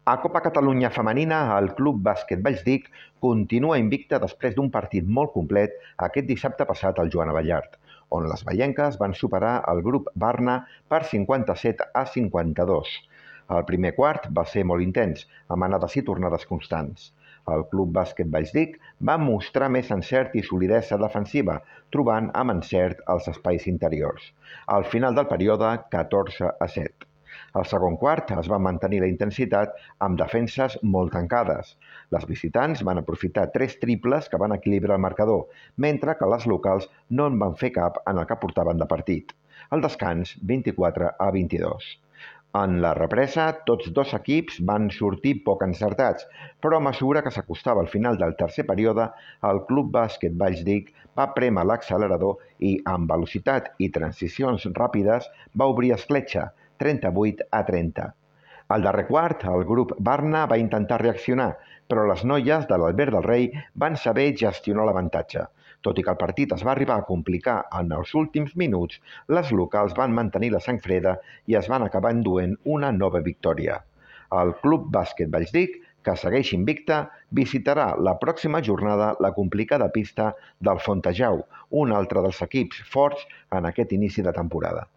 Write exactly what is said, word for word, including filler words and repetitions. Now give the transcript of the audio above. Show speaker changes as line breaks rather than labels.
A Copa Catalunya Femenina, el Club Bàsquet Vallsdic continua invicta després d'un partit molt complet aquest dissabte passat al Joan Abellart, on les veienques van superar el grup Barna per cinquanta-set a cinquanta-dos. El primer quart va ser molt intens, amb anades i tornades constants. El Club Bàsquet Vallsdic va mostrar més encert i solidesa defensiva, trobant amb encert els espais interiors. Al final del període, catorze a set. Al segon quart es va mantenir la intensitat amb defenses molt tancades. Les visitants van aprofitar tres triples que van equilibrar el marcador, mentre que les locals no en van fer cap en el que portaven de partit. Al descans, vint-i-quatre a vint-i-dos. En la represa, tots dos equips van sortir poc encertats, però a mesura que s'acostava al final del tercer període, el Club Bàsquet Vallsdic va prémer l'accelerador i, amb velocitat i transicions ràpides, va obrir escletxa, trenta-vuit a trenta. Al darrer quart, el grup Barna va intentar reaccionar, però les noies de l'Albert del Rei van saber gestionar l'avantatge. Tot i que el partit es va arribar a complicar en els últims minuts, les locals van mantenir la sang freda i es van acabar enduent una nova victòria. El Club Bàsquet Vallsdic, que segueix invicta, visitarà la pròxima jornada la complicada pista del Fontejau, un altre dels equips forts en aquest inici de temporada.